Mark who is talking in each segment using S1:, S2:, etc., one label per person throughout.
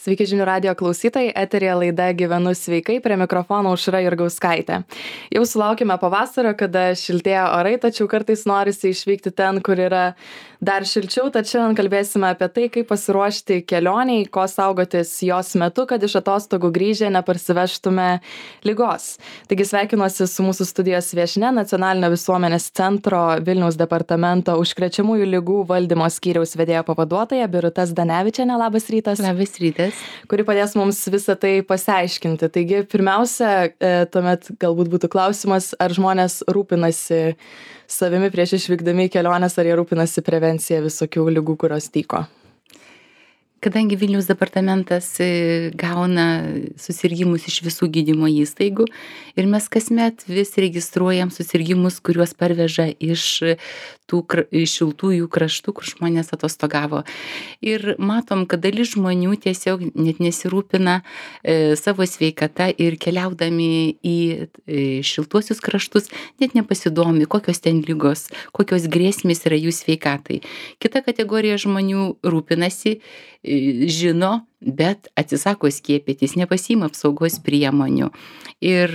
S1: Sveiki žinių radio klausytojai, eterija laida Gyvenu sveikai, prie mikrofono Aušra Jurgauskaitė. Jau sulaukime pavasario, kada šiltėja orai, tačiau kartais norisi išvykti ten, kur yra dar šilčiau, tad šiandien kalbėsime apie tai, kaip pasiruošti kelioniai, ko saugotis jos metu, kad iš atostogų grįžę neparsivežtume ligos. Taigi sveikinuosi su mūsų studijos viešnia, Nacionalinio visuomenės centro Vilniaus departamento užkrečiamųjų ligų valdymo skyriaus vedėjo pavaduotoja Birutė Zdanevičienė. Labas rytas.
S2: Labas rytas.
S1: Kuri padės mums visą tai pasiaiškinti. Taigi, pirmiausia, tuomet galbūt būtų klausimas, ar žmonės rūpinasi savimi prieš išvykdami į keliones, ar jie rūpinasi prevencija visokių ligų, kurios tyko.
S2: Kadangi Vilniaus departamentas gauna susirgimus iš visų gydymo įstaigų ir mes kasmet vis registruojam susirgimus, kuriuos parveža iš tų šiltųjų kraštų, kur žmonės atostogavo. Ir matom, kad dalis žmonių tiesiog net nesirūpina savo sveikata ir keliaudami į šiltuosius kraštus net nepasidomi, kokios ten ligos, kokios grėsmės yra jų sveikatai. Kita kategorija žmonių rūpinasi, žino, bet atsisako skiepytis, nepasiima apsaugos priemonių. Ir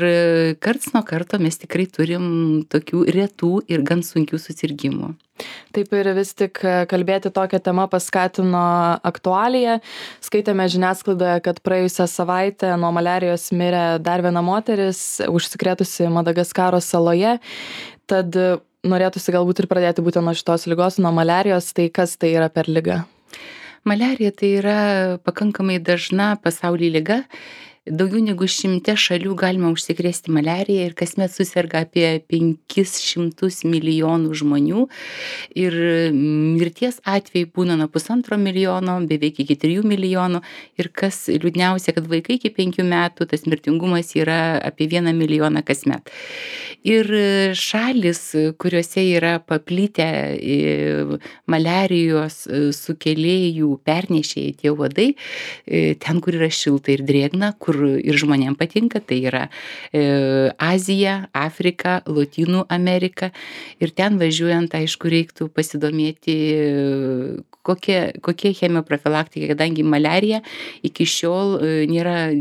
S2: karts nuo karto mes tikrai turim tokių retų ir gan sunkių susirgimų.
S1: Taip, ir vis tik kalbėti tokią temą paskatino aktualija. Skaitėme žiniasklaidoje, kad praėjusią savaitę nuo maliarijos mirė dar viena moteris, užsikrėtusi Madagaskaro saloje. Tad norėtųsi galbūt ir pradėti būtent nuo šitos ligos, nuo maliarijos. Tai kas tai yra per liga?
S2: Maliarija tai yra pakankamai dažna pasaulyje liga. Daugiau negu 100 šalių galima užsikrėsti maliarija ir kasmet suserga apie 500 milijonų žmonių. Ir mirties atvejai būna nuo 1,5 milijono, beveik iki 3 milijonų. Ir kas liūdniausia, kad vaikai iki 5 metų, tas mirtingumas yra apie 1 milijoną kasmet. Ir šalis, kuriuose yra paplitę maliarijos sukėlėjų pernešėjai tie uodai, ten, kur yra šilta ir drėgna, kur ir žmonėms patinka, tai yra Azija, Afrika, Lotynų Amerika. Ir ten važiuojant, aišku, reiktų pasidomėti, kokie chemioprofilaktika, kadangi maliarija iki šiol nėra,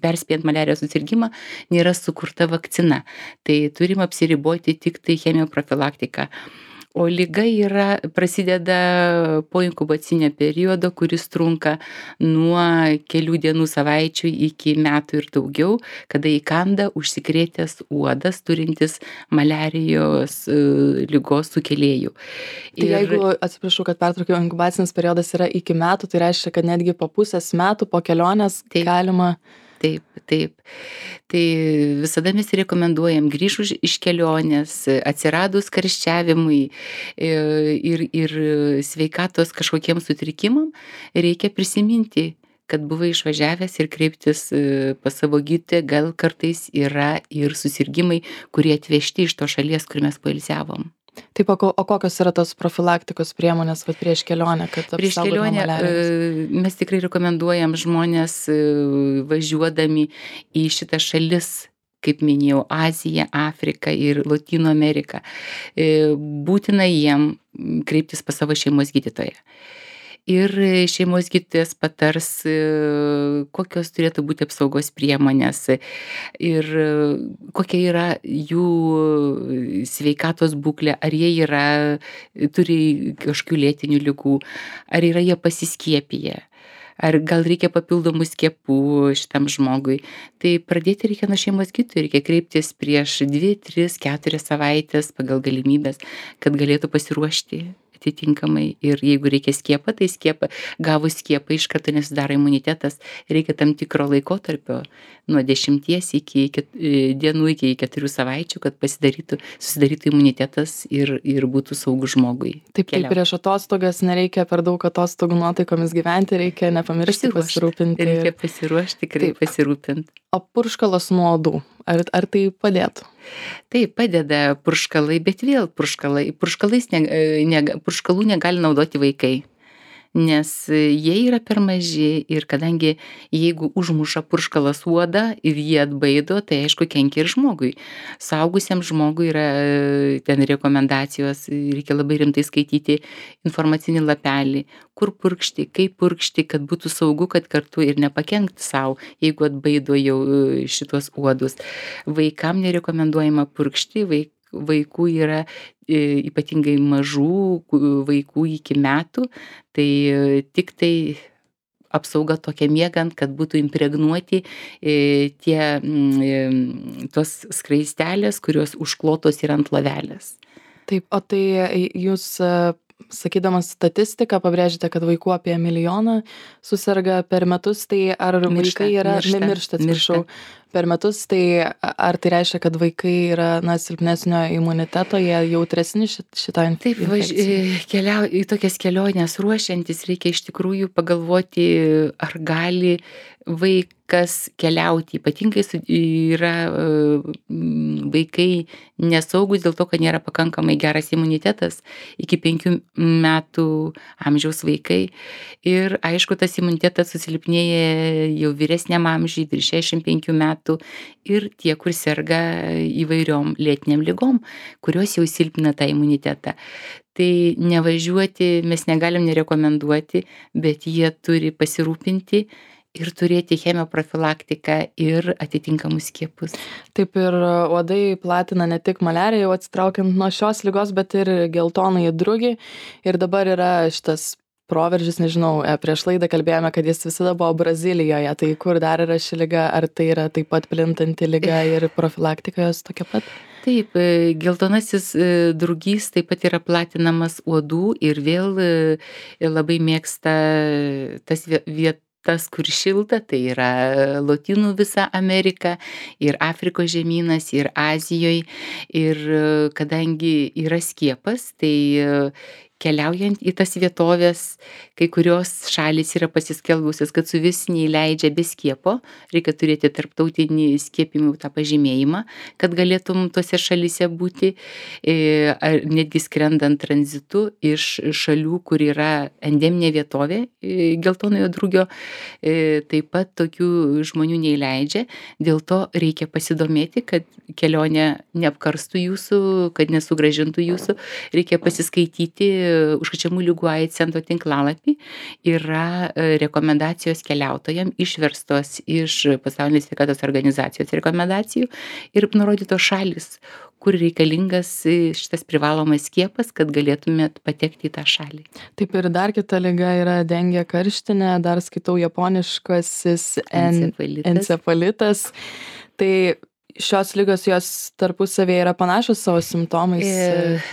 S2: perspėjant maliarijos susirgimą, nėra sukurta vakcina. Tai turim apsiriboti tik tai chemioprofilaktika. O liga prasideda po inkubacinio periodo, kuris trunka nuo kelių dienų, savaičių iki metų ir daugiau, kada įkanda užsikrėtęs uodas turintis maliarijos ligos sukėlėjų.
S1: Tai jeigu, atsiprašau, kad pertraukiau, inkubacinis periodas yra iki metų, tai reiškia, kad netgi po pusės metų, po kelionės galima...
S2: Taip. Tai visada mes rekomenduojam grįžus iš kelionės, atsiradus karščiavimui ir sveikatos kažkokiems sutrikimam, reikia prisiminti, kad buvai išvažiavęs ir kreiptis pas savo gydytoją, gal kartais yra ir susirgimai, kurie atvežti iš to šalies, kur mes poilsiavom.
S1: Taip, o kokios yra tos profilaktikos priemonės prieš kelionę, kad apsaugotume nuo maliarijos?
S2: Mes tikrai rekomenduojam žmonės važiuodami į šitą šalis, kaip minėjau, Aziją, Afriką ir Lotynų Ameriką. Būtina jiem kreiptis pas savo šeimos gydytoją. Ir šeimos gydytojas patars, kokios turėtų būti apsaugos priemonės ir kokia yra jų sveikatos būklė, ar jie turi kažkokių lėtinių ligų, ar yra jie pasiskiepiję, ar gal reikia papildomų skiepų šitam žmogui. Tai pradėti reikia nuo šeimos gydytojo, reikia kreiptis prieš 2, 3, 4 savaitės pagal galimybės, kad galėtų pasiruošti atitinkamai. Ir jeigu reikia skiepą, tai gavus skiepą iš karto nesidaro imunitetas. Reikia tam tikro laikotarpio nuo 10 dienų iki 4 savaičių, kad susidarytų imunitetas ir būtų saugus žmogui.
S1: Taip, prieš atostogas nereikia per daug atostogų nuotaikomis gyventi, reikia nepamiršti pasirūpinti.
S2: Reikia pasiruošti, tikrai pasirūpinti.
S1: O purškalas nuo uodų, ar tai padėtų?
S2: Taip, padeda purškalai, bet vėl purškalų negali naudoti vaikai. nes jie yra per maži ir kadangi jeigu užmuša purškalas uodą ir jį atbaido, tai aišku kenkia ir žmogui. Suaugusiam žmogui yra ten rekomendacijos, reikia labai rimtai skaityti informacinį lapelį, kur purkšti, kaip purkšti, kad būtų saugu, kad kartu ir nepakenkti savo, jeigu atbaido jau šitos uodus. Vaikam nerekomenduojama purkšti, vaikų yra ypatingai mažų vaikų iki metų, tai tik tai apsauga tokia miegant, kad būtų impregnuoti tos skraistelės, kurios užklotos yra ant lovelės.
S1: Taip, o tai jūs sakydamas statistiką pabrėžite, kad vaikų apie 1 milijoną susirga per metus, tai ar vaikai yra miršta, per metus, tai ar tai reiškia, kad vaikai yra silpnesnio imuniteto, jie jautresni šitą infekciją?
S2: Taip, į tokias keliones ruošiantis reikia iš tikrųjų pagalvoti, ar gali vaikas keliauti. Ypatingai yra vaikai nesaugus dėl to, kad nėra pakankamai geras imunitetas iki 5 metų amžiaus vaikai. Ir aišku, tas imunitetas susilpnėja jau vyresniam amžiui, virš 65 metų. Ir tie, kur serga įvairiom lėtiniam ligom, kurios jau silpina tą imunitetą. Tai nevažiuoti mes negalim nerekomenduoti, bet jie turi pasirūpinti ir turėti chemoprofilaktiką ir atitinkamus skiepus.
S1: Taip, ir uodai platina ne tik maliariją, jau atsitraukiant nuo šios ligos, bet ir geltonąjį drugį. Ir dabar yra šitas proveržis, nežinau, prieš laidą kalbėjome, kad jis visada buvo Brazilijoje. Tai kur dar yra ši liga? Ar tai yra taip pat plintanti liga ir profilaktika jos tokia pat?
S2: Taip, geltonasis drugys taip pat yra platinamas uodų ir vėl labai mėgsta tas vietas, kur šilta, tai yra Lotynų visa Amerika ir Afrikos žemynas ir Azijoje. Ir kadangi yra skiepas, tai keliaujant į tas vietovės, kai kurios šalys yra pasiskelbusios, kad su vis neįleidžia be skiepo, reikia turėti tarptautinį skiepimų tą pažymėjimą, kad galėtum tose šalyse būti, ar netgi skrendant tranzitu iš šalių, kur yra endeminė vietovė geltonojo drugio, taip pat tokių žmonių neįleidžia, dėl to reikia pasidomėti, kad kelionė neapkarstų jūsų, kad nesugrąžintų jūsų, reikia pasiskaityti užkrečiamų ligų AIDS centro tinklalapį, yra rekomendacijos keliautojam išverstos iš Pasaulinės sveikatos organizacijos rekomendacijų ir nurodytos šalys, kur reikalingas šitas privalomas skiepas, kad galėtumėt patekti į tą šalį.
S1: Taip, ir dar kita liga yra dengė karštinė, dar skaitau japoniškasis encefalitas. Tai šios ligos jos tarpusavėje yra panašios savo simptomais?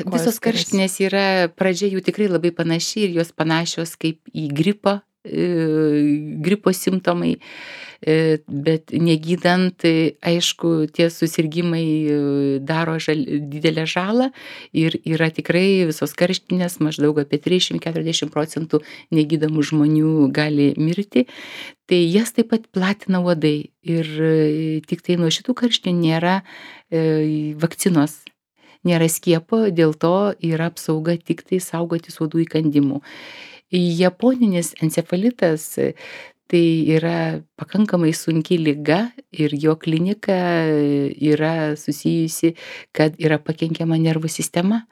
S2: Visos karštinės yra, pradžia jų tikrai labai panaši ir jos panašios kaip į gripo simptomai, bet negydant, aišku, tie susirgimai daro didelę žalą ir yra tikrai visos karštinės, maždaug apie 30–40% negydamų žmonių gali mirti. Tai jas taip pat platina uodai ir tik tai nuo šitų karštinių nėra vakcinos, nėra skiepo, dėl to yra apsauga tik tai saugotis uodų įkandimų. Japoninis encefalitas tai yra pakankamai sunki liga ir jo klinika yra susijusi, kad yra pakenkiama nervų sistema.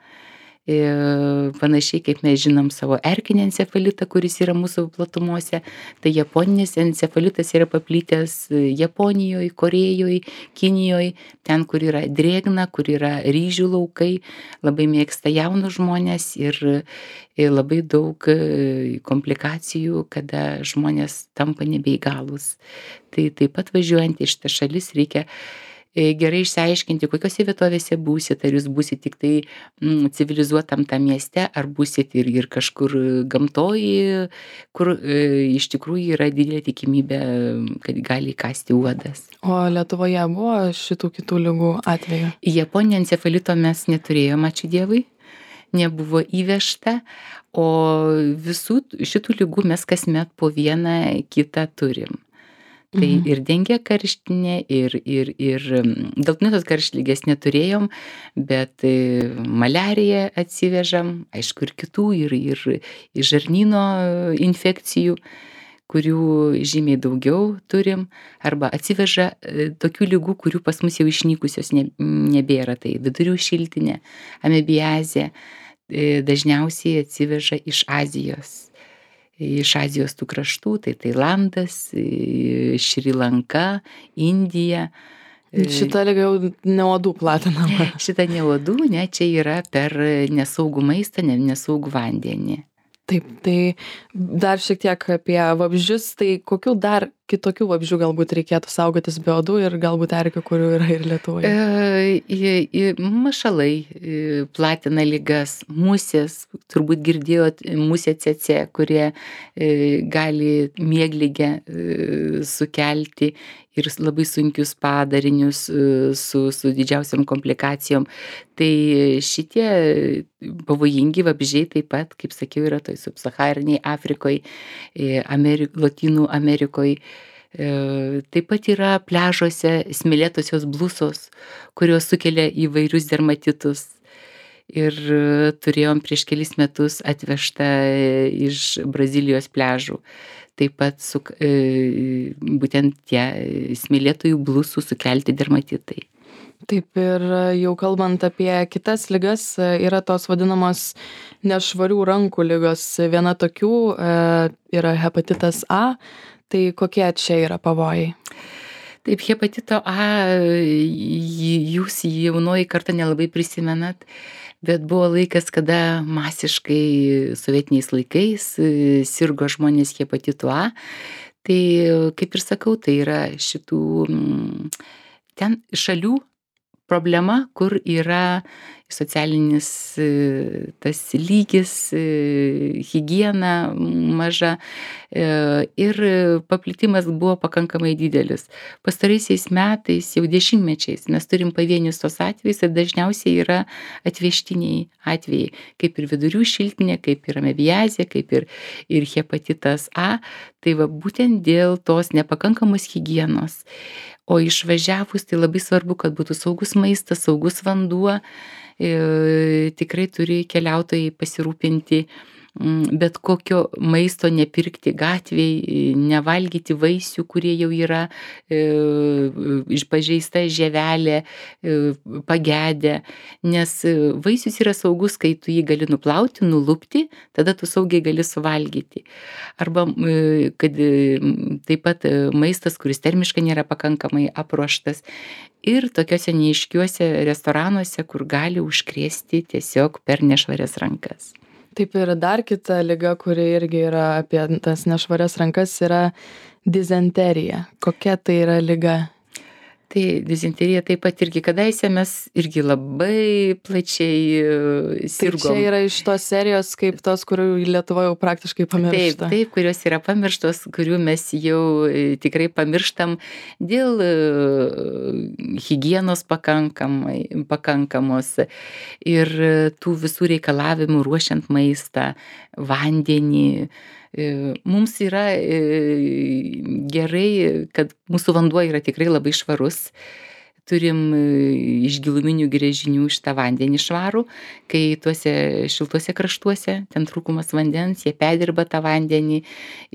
S2: Panašiai kaip mes žinom savo erkinį encefalitą, kuris yra mūsų platumose, tai japoninis encefalitas yra paplitęs Japonijoje, Korėjoje, Kinijoje, ten, kur yra drėgna, kur yra ryžių laukai, labai mėgsta jaunus žmonės ir labai daug komplikacijų, kada žmonės tampa nebeįgalūs. Tai taip pat važiuojant į šitą šalis reikia gerai išsiaiškinti, kokiose vietovėse būsit, ar jūs būsit tik tai civilizuotam tam mieste, ar būsit ir kažkur gamtoje, kur iš tikrųjų yra didelė tikimybė, kad gali įkąsti uodas.
S1: O Lietuvoje buvo šitų kitų ligų atveju?
S2: Japoninio encefalito mes neturėjome, ačiū Dievui, nebuvo įvežta, o visų šitų ligų mes kasmet po vieną kitą turim. Tai
S1: Mhm.
S2: ir dengia karštinė, ir geltonosios tos karštligės neturėjom, bet maliariją atsivežam, aišku, ir kitų, ir žarnyno infekcijų, kurių žymiai daugiau turim, arba atsiveža tokių ligų, kurių pas mus jau išnykusios nebėra. Tai vidurių šiltinė, amebiazė dažniausiai atsiveža iš Azijos tų kraštų, tai Tailandas, Šri Lanka, Indija.
S1: Šita liga jau ne uodų platinama.
S2: Šita ne uodų, ne, čia yra per nesaugų maistą, nesaugų vandenį.
S1: Taip, tai dar šiek tiek apie vabzdžius, tai kokių dar kitokių vabzdžių galbūt reikėtų saugotis be uodų ir galbūt erkių, kurių yra ir Lietuvoje?
S2: Mašalai platina ligas, musės, turbūt girdėjot, musė CC, kurie gali miegligę sukelti ir labai sunkius padarinius su didžiausiam komplikacijom. Tai šitie pavojingi vabzdžiai taip pat, kaip sakiau, yra toj subsahariniai Afrikoje, Lotynų Amerikoje. Taip pat yra pliažuose smėlėtosios blusos, kurios sukelia įvairius dermatitus. Ir turėjom prieš kelis metus atvežtą iš Brazilijos pliažų. Taip pat būtent tie smėlėtųjų blusų sukelti dermatitai.
S1: Taip, ir jau kalbant apie kitas ligas, yra tos vadinamos nešvarių rankų ligos. Viena tokių yra hepatitas A. Tai kokie čia yra pavojai?
S2: Taip, hepatito A, jūs jaunoji karta nelabai prisimenat, bet buvo laikas, kada masiškai sovietiniais laikais sirgo žmonės hepatitu A. Tai, kaip ir sakau, tai yra šitų ten šalių problema, kur yra socialinis tas lygis, higiena maža ir paplitimas buvo pakankamai didelis. Pastaraisiais metais, jau dešimtmečiais, mes turim pavienius tos atvejus ir dažniausiai yra atvežtiniai atvejai, kaip ir vidurių šiltinė, kaip ir amebiazė, kaip ir hepatitas A. Tai va būtent dėl tos nepakankamos higienos. O išvažiavus, tai labai svarbu, kad būtų saugus maistas, saugus vanduo. Tikrai turi keliautojai pasirūpinti bet kokio maisto nepirkti gatvėj, nevalgyti vaisių, kurie jau yra pažeista žievelė, pagedę, nes vaisius yra saugus, kai tu jį gali nuplauti, nulupti, tada tu saugiai gali suvalgyti. Arba kad taip pat maistas, kuris termiškai nėra pakankamai apruoštas. Ir tokiuose neaiškiuose restoranuose, kur gali užkrėsti tiesiog per nešvarias rankas.
S1: Taip, ir dar kita liga, kuri irgi yra apie tas nešvarias rankas, yra dizenterija. Kokia tai yra liga?
S2: Tai dizenterija taip pat irgi kadaise mes irgi labai plačiai sirgom.
S1: Tai čia yra iš tos serijos kaip tos, kurių Lietuvoje jau praktiškai pamiršta.
S2: Taip, kurios yra pamirštos, kurių mes jau tikrai pamirštam dėl higienos pakankamos ir tų visų reikalavimų ruošiant maistą, vandenį. Mums yra gerai, kad mūsų vanduo yra tikrai labai švarus. Turim iš giluminių gręžinių šitą vandenį švarų, kai tuose šiltuose kraštuose, ten trūkumas vandens, jie perdirba tą vandenį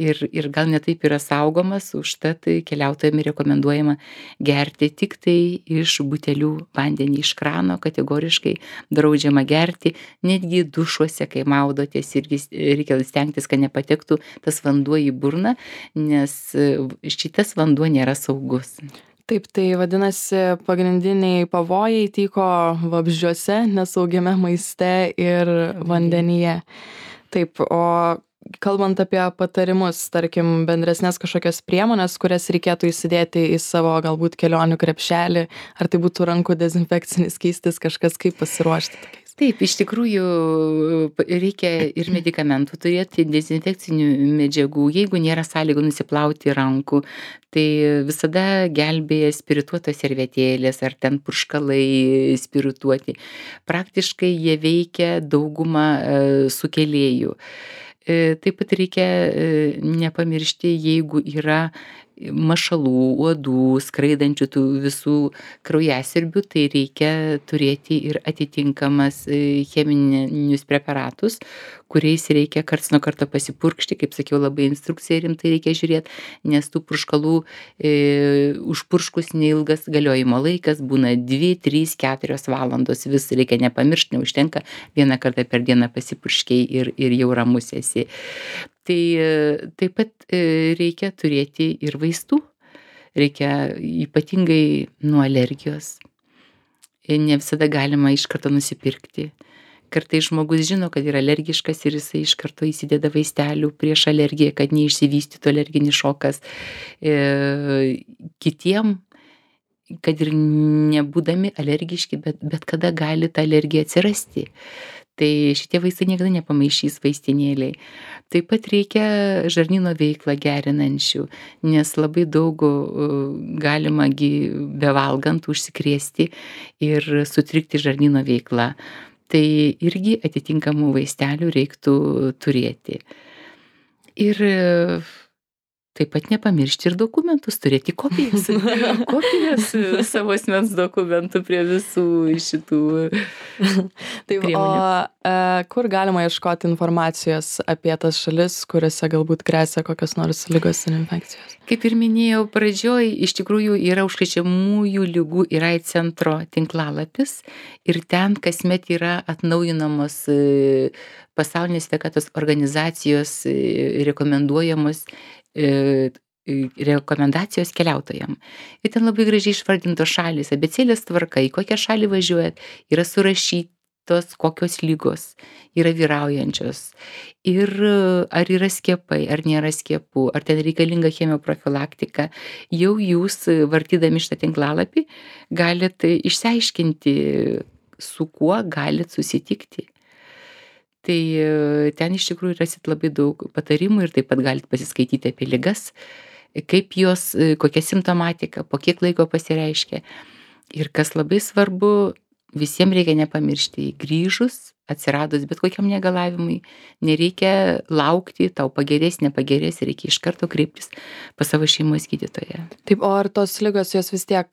S2: ir gal netaip yra saugomas, užtat keliautojams rekomenduojama gerti tik tai iš butelių vandenį iš krano, kategoriškai draudžiama gerti, netgi dušuose, kai maudotės, irgi reikia stengtis, kad nepatektų tas vanduo į burną, nes šitas vanduo nėra saugus.
S1: Taip, tai vadinasi, pagrindiniai pavojai tyko vabzdžiuose, nesaugiame maiste ir vandenyje. Taip, o kalbant apie patarimus, tarkim, bendresnės kažkokias priemonės, kurias reikėtų įsidėti į savo galbūt kelionių krepšelį, ar tai būtų rankų dezinfekcinis skystis, kažkas kaip pasiruošti tokiais?
S2: Taip, iš tikrųjų reikia ir medikamentų turėti, dezinfekcinių medžiagų. Jeigu nėra sąlygų nusiplauti rankų, tai visada gelbėja spirituotos servetėlės ar ten purškalai spirituoti. Praktiškai jie veikia daugumą sukėlėjų. Taip pat reikia nepamiršti, jeigu yra mašalų, uodų, skraidančių tų visų kraujasiurbių, tai reikia turėti ir atitinkamas cheminius preparatus, kuriais reikia karts nuo karto pasipurkšti, kaip sakiau, labai instrukciją rimtai reikia žiūrėti, nes tų purškalų užpurškus neilgas galiojimo laikas būna 2, 3, 4 valandos, vis reikia nepamiršti, neužtenka vieną kartą per dieną pasipurškiai ir jau ramus esi. Tai taip pat reikia turėti ir vaistų, reikia ypatingai nuo alergijos. Ne visada galima iš karto nusipirkti. Kartais žmogus žino, kad yra alergiškas ir jisai iš karto įsideda vaistelių prieš alergiją, kad neišsivystytų alerginis šokas. Kitiem, kad ir nebūdami alergiški, bet kada gali ta alergija atsirasti. Tai šitie vaistai niekada nepamaišys vaistinėliai. Taip pat reikia žarnyno veiklą gerinančių, nes labai daug galima bevalgant užsikrėsti ir sutrikti žarnyno veiklą. Tai irgi atitinkamų vaistelių reiktų turėti. Ir taip pat nepamiršti ir dokumentus, turėti kopijas. Kopijas savo asmens dokumentų prie visų šitų
S1: priemonių. O kur galima ieškoti informacijos apie tas šalis, kuriuose galbūt gresia kokios nors ligos ir infekcijos?
S2: Kaip ir minėjau pradžioj, iš tikrųjų yra užkrečiamųjų ligų ir AIDS centro tinklalapis ir ten kasmet yra atnaujinamos Pasaulinės sveikatos organizacijos rekomenduojamos rekomendacijos keliautojam. Ir ten labai gražiai išvardintos šalys, abėcėlės tvarka, į kokią šalį važiuojat, yra surašytos kokios lygos yra vyraujančios. Ir ar yra skiepai, ar nėra skiepų, ar ten reikalinga chemioprofilaktika. Jau jūs, vartydami šitą tinklalapį, galit išsiaiškinti, su kuo galit susitikti. Tai ten iš tikrųjų rasit labai daug patarimų ir taip pat galite pasiskaityti apie ligas, kaip jos, kokia simptomatika, po kiek laiko pasireiškia. Ir kas labai svarbu, visiems reikia nepamiršti, grįžus, atsiradus bet kokiam negalavimui, nereikia laukti, tau pagerės, nepagerės, reikia iš karto kreiptis pas savo šeimos gydytoją.
S1: Taip, o ar tos ligos jos vis tiek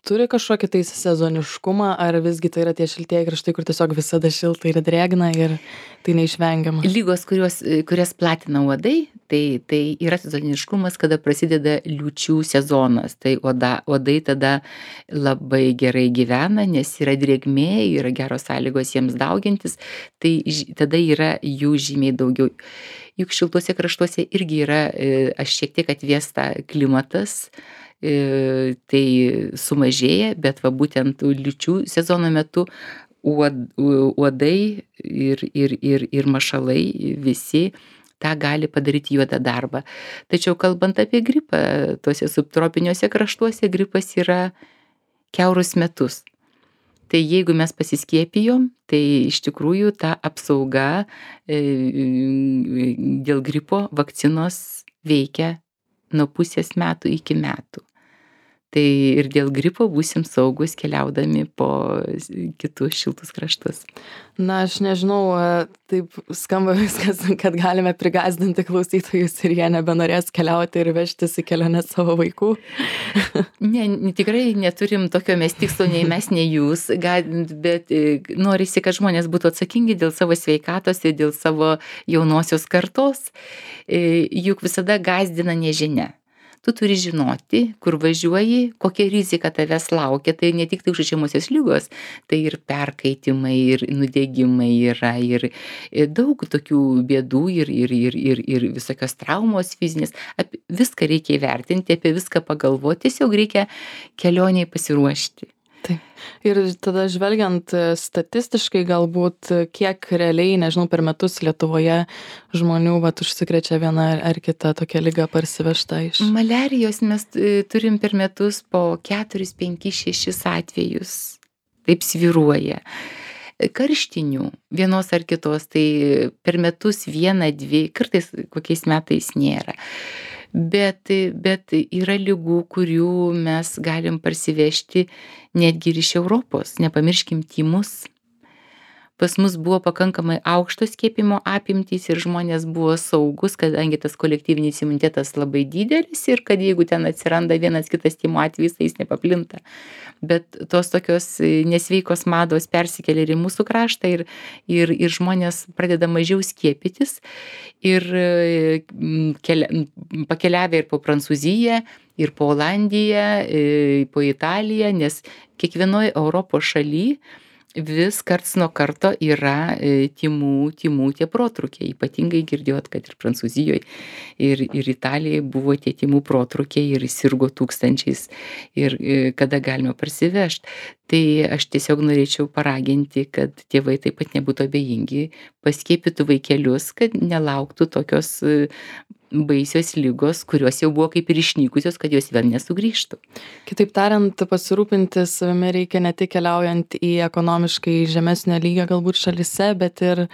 S1: turi kažkokį tai sezoniškumą, ar visgi tai yra tie šiltieji kraštai, kur tiesiog visada šilta ir drėgna ir tai neišvengiama?
S2: Lygos, kurias platina uodai, tai yra sezoniškumas, kada prasideda liūčių sezonas. Tai uodai tada labai gerai gyvena, nes yra drėgmė, yra geros sąlygos jiems daugintis, tai tada yra jų žymiai daugiau. Juk šiltuose kraštuose irgi yra šiek tiek atvėsta klimatas, tai sumažėja, bet va būtent liūčių sezono metu uodai ir mašalai visi tą gali padaryti juodą darbą. Tačiau kalbant apie gripą, tuose subtropiniuose kraštuose gripas yra kiaurus metus. Tai jeigu mes pasiskiepijom, tai iš tikrųjų ta apsauga dėl gripo vakcinos veikia nuo pusės metų iki metų. Tai ir dėl gripo būsim saugus keliaudami po kitus šiltus kraštus.
S1: Na, aš nežinau, taip skamba viskas, kad galime prigąsdinti klausytojus ir jie nebenorės keliauti ir vežtis į kelionę savo vaikų.
S2: Ne, tikrai neturim tokio mes tikslo, nei mes, nei jūs, bet norisi, kad žmonės būtų atsakingi dėl savo sveikatos ir dėl savo jaunosios kartos. Juk visada gąsdina nežinia. Tu turi žinoti, kur važiuoji, kokia rizika tavęs laukia. Tai ne tik tai užkrečiamosios ligos, tai ir perkaitimai, ir nudegimai yra, ir daug tokių bėdų, ir visokios traumos fizinės. Apie viską reikia įvertinti, apie viską pagalvoti, tiesiog reikia kelioniai pasiruošti.
S1: Taip. Ir tada žvelgiant statistiškai galbūt, kiek realiai, nežinau, per metus Lietuvoje žmonių užsikrečia viena ar kita tokia liga parsivežta iš?
S2: Maliarijos mes turim per metus po 4, 5, 6 atvejus. Taip svyruoja. Karštinių vienos ar kitos, tai per metus 1, 2, kartais kokiais metais nėra. Bet yra ligų, kurių mes galim parsivežti netgi ir iš Europos. Nepamirškim tymus. pas mus buvo pakankamai aukštos skiepijimo apimtys ir žmonės buvo saugūs, kadangi tas kolektyvinis imunitetas labai didelis ir kad jeigu ten atsiranda vienas kitas tymų atvejis, tai jis nepaplinta. Bet tos tokios nesveikos mados persikelia ir į mūsų kraštą ir žmonės pradeda mažiau skiepytis ir pakeliavę ir po Prancūziją, ir po Olandiją, po Italiją, nes kiekvienoj Europos šaly vis karts nuo karto yra tymų tie protrūkiai. Ypatingai girdėjot, kad ir Prancūzijoje, ir Italijoje buvo tie tymų protrūkiai ir sirgo tūkstančiais ir kada galima parsivežti. Tai aš tiesiog norėčiau paraginti, kad tėvai taip pat nebūtų abejingi, paskiepytų vaikelius, kad nelauktų tokios baisios ligos, kurios jau buvo kaip ir išnykusios, kad jos vėl nesugrįžtų.
S1: Kitaip tariant, pasirūpinti savimi reikia ne tik keliaujant į ekonomiškai žemesnio lygio galbūt šalyse, bet ir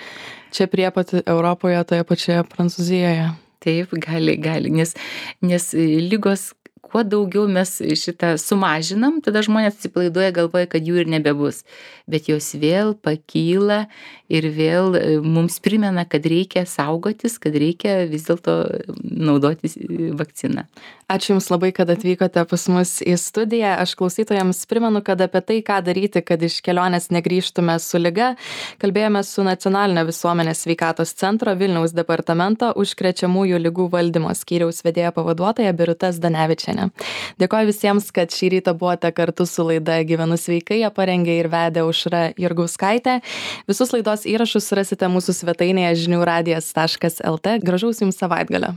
S1: čia prie pat Europoje, toje pačioje Prancūzijoje.
S2: Taip, gali, nes ligos, kuo daugiau mes šitą sumažinam, tada žmonės atsipalaiduoja, galvoja, kad jų ir nebebus. Bet jos vėl pakyla ir vėl mums primena, kad reikia saugotis, kad reikia vis dėlto naudotis vakciną.
S1: Ačiū Jums labai, kad atvykote pas mus į studiją. Aš klausytojams primenu, kad apie tai, ką daryti, kad iš kelionės negrįžtume su liga, kalbėjome su Nacionalinio visuomenės sveikatos centro Vilniaus departamento užkrečiamųjų ligų valdymo skyriaus vedėjo pavaduotoja Birutė Zdanevičienė. Dėkoju visiems, kad šį rytą buvote kartu su laida Gyvenu sveikai, ją parengė ir vedė Aušra Jurgauskaitė. Visus laidos įrašus rasite mūsų svetainėje žiniųradijas.lt. Gražaus Jums savaitgalio.